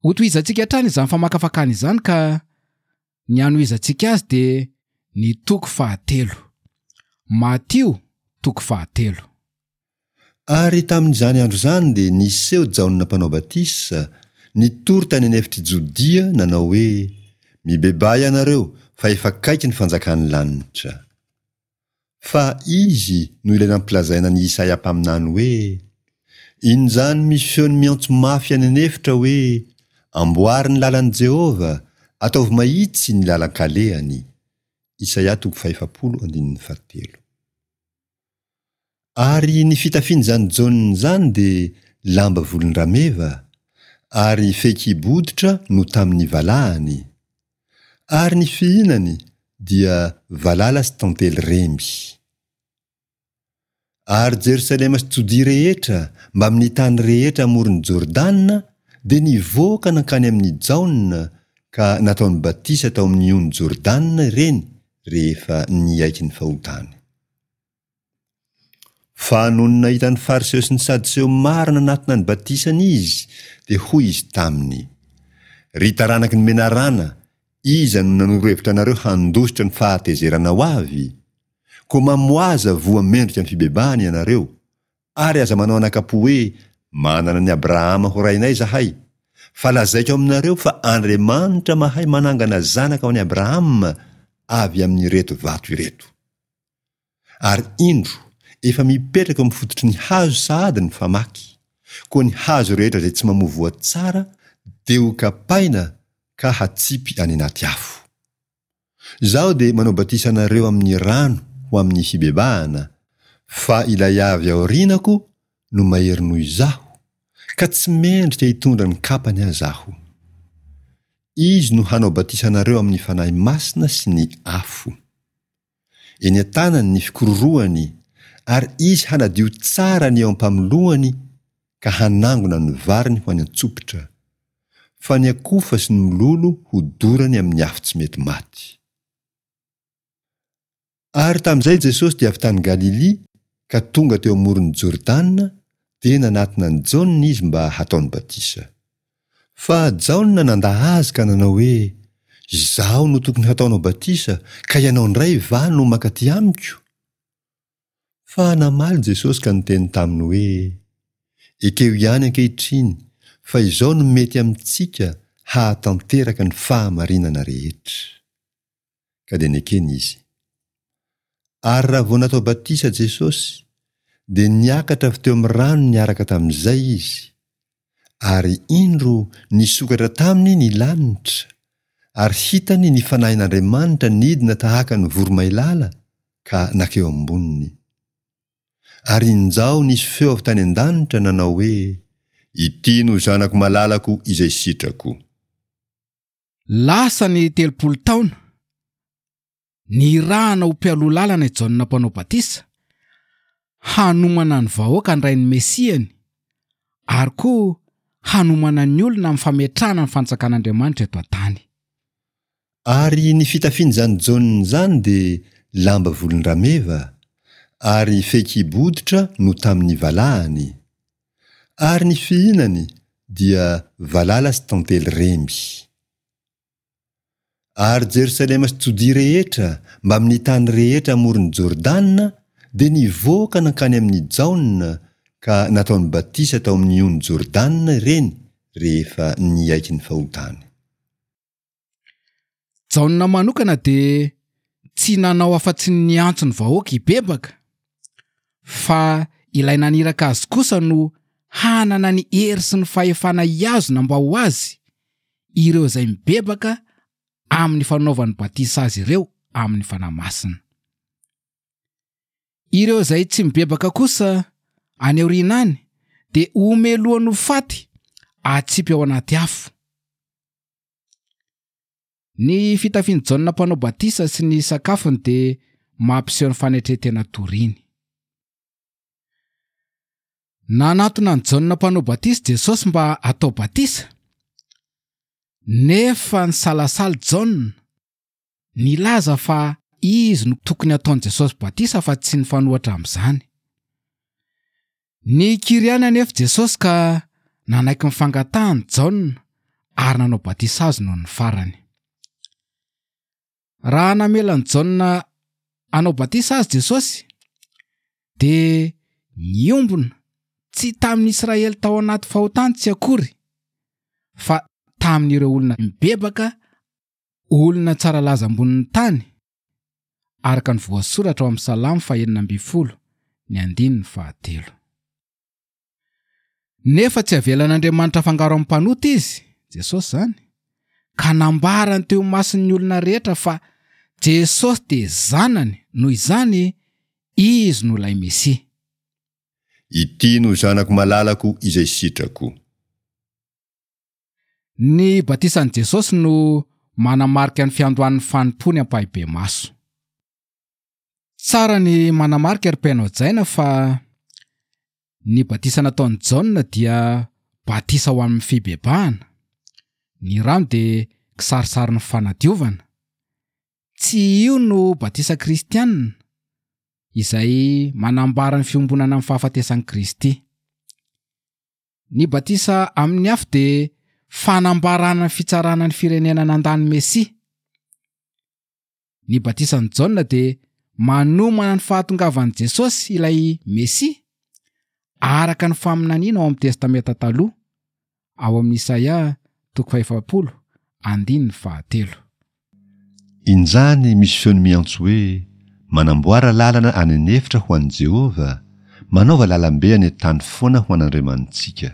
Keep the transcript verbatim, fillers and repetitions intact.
Hotohizantsika hatrany izany famakafakana izany ka ny hanohizantsika azy dia ny toko fahatelo. Matio toko fahatelo. Ary tamin'izany andro izany dia niseho Jaona Mpanao Batisa, nitory tany an'efitr'i Jodia, nanao hoe, Mibebaha ianareo, fa efa akaiky ny fanjakan'ny lanitra. Fa izy no ilay nampilazaina an'i Isaia mpaminany hoe, Injany misy feony miantso mafy any an'efitra hoe, Amboary ny lalan'i Jehovah, ataovy mahitsy ny lalan-kalehany. Isaia toko fahefapolo andininy fahatelo. Ary ny fitafian'izany Jaona izany dia lamba volon-drameva, ary fehikibo hoditra no tamin'ny valahany, ary ny fihinany dia valala sy tantely remby. Ary Jerosalema sy Jodia rehetra mbamin'ny tany rehetra amoron'i Jordana dia nivoaka nankany amin'i Jaona ka nataony batisa tao amin'ny ony Jordana ireny rehefa niaiky ny fahotany. Fa nony nahita ny Fariseo sy ny Sadoseo maro nanatona ny batisany izy, dia hoy izy taminy, Ry taranaky ny menarana, iza no nanoro hevitra anareo handositra ny fahatezerana ho avy? Koa mamoaza voa mendrika ny fibebahana ianareo, ary aza manao anakapo hoe, Manana an'i Abrahama ho rainay izahay. Fa lazaiko aminareo fa Andriamanitra mahay manangana zanaka ho an'i Abrahama avy amin'ireto vato ireto. Ary indro, efa mipetraka eo amin'ny fototry ny hazo sahady ny famaky, koa ny hazo rehetra izay tsy mamoa voa tsara dia hokapaina ka hatsipy any anaty afo. Izaho dia manao batisa anareo amin'ny rano ho amin'ny fibebahana, fa ilay avy aorianako no mahery noho izaho, ka tsy mendrika hitondra ny kapany aza aho. Izy no hanao batisa anareo amin'ny Fanahy Masina sy ny afo. Eny an-tanany ny fikororohany, ary izy hanadio tsara ny eo am-pamoloany ka hanangona ny variny ho any an-tsopitra, fa ny akofa sy ny mololo hodorany amin'ny afo tsy mety maty. Ary tamin'izay Jesosy dia avy tany Galilia ka tonga teo amoron'i Jordana, dia nanatona an'i Jaona izy mba hataony batisa. Fa Jaona nandà azy ka nanao hoe, Izaho no tokony hataonao batisa, ka ianao indray va no mankaty amiko? Fa namaly Jesosy ka niteny taminy hoe, Ekeo ihany ankehitriny fa izao no mety amintsika hahatanteraka ny fahamarinana rehetra. Ka dia nekeny izy. Ary raha vao natao batisa Jesosy, dia niakatra avy teo amin'ny rano niaraka tamin'izay izy, ary indro nisokatra taminy ny lanitra, ary hitany ny Fanahin'Andriamanitra nidina tahaka ny voromailala ka nankeo amboniny. Ary injao nisy feo avy tany an-danitra nanao hoe, Ity no Zanako malalako izay sitrako. Lasa ny telopolo taona, nirahana ho mpialoha lalana i Jaona Mpanao Batisa, hanomana ny vahoaka handray ny Mesiany, ary koa hanomana ny olona amin'ny fametrahana ny fanjakan'Andriamanitra eto an-tany. Ary ny fitafian'izany Jaona izany dia lamba volon-drameva, ary fehikibo hoditra no tamin'ny valahany, ary ny fihinany dia valala sy tantely remby. Ary Jerosalema sy Jodia rehetra mbamin'ny tany rehetra amoron'i Jordana dia nivoaka nankany amin'i Jaona ka nataony batisa tao amin'ny ony Jordana ireny rehefa niaiky ny fahotany. Jaona manokana dia tsy nanao afa-tsy ny niantso ny vahoaka hibebaka, fa ilay naniraka azy kosa no hanana ny hery sy ny fahefana hihazona mba ho azy ireo izay mibebaka amin'ny fanaovany batisa azy ireo amin'ny Fanahy Masina. Ireo izay tsy mibebaka kosa any aoriana any dia homelohany ho faty atsipy ao anaty afo. Ny fitafian'i Jaona Mpanao Batisa sy ny sakafony dia mampiseho ny fanetren-tena toriny. Nanatona an'i Jaona Mpanao Batisa Jesosy mba hatao batisa, nefa nisalasala Jaona, nilaza fa izy no tokony hataon'i Jesosy batisa fa tsy nifanohitra amin'izany. Nikiry ihany anefa Jesosy ka nanaiky ny fangatahany Jaona ary nanao batisa azy noho ny farany. Raha namela an'i Jaona hanao batisa azy Jesosy, dia niombona tsy tamin'ny Israely tao anaty fahotany tsy akory, fa tamin'ireo olona mibebaka, olona tsara laza ambonin'ny tany, araka ny voasoratra ao amin'ny Salamo fahenina ambin'ny folo, ny andininy fahatelo. Nefa tsy avelan'Andriamanitra afangaro amin'ny mpanota izy, Jesosy izany, ka nambarany teo imason'ny olona rehetra fa Jesosy dia zanany, noho izany izy no ilay Mesia. Ity no zanako malalako izay sitrako. Ny batisan'i Jesosy no manamarika ny fiandohan'ny fanompoany ampahibemaso. Tsara ny manamarika ry mpihaino hajaina fa ny batisa nataon'i Jaona dia batisa ho amin'ny fibebahana. Ny rano dia kisarisarin'ny fanadiovana. Tsy io no batisa kristianina izay manambara ny fiombonana amin'ny fahafatesan'i Kristy. Ny batisa amin'ny afo dia fanambarana ny fitsarana ny firenena nandany Mesia. Ny batisan'i Jaona dia manomana ny fahatongavan'i Jesosy ilay Mesia araka ny faminaniana ao amin'ny Testamenta Taloha, ao amin'ny Isaia toko fahefapolo andininy fahatelo. Injany misy feony miantso hoe, Manamboara lalana any an'efitra ho an'i Jehovah, manaova lalambe any an-tany foana ho an'Andriamanitsika.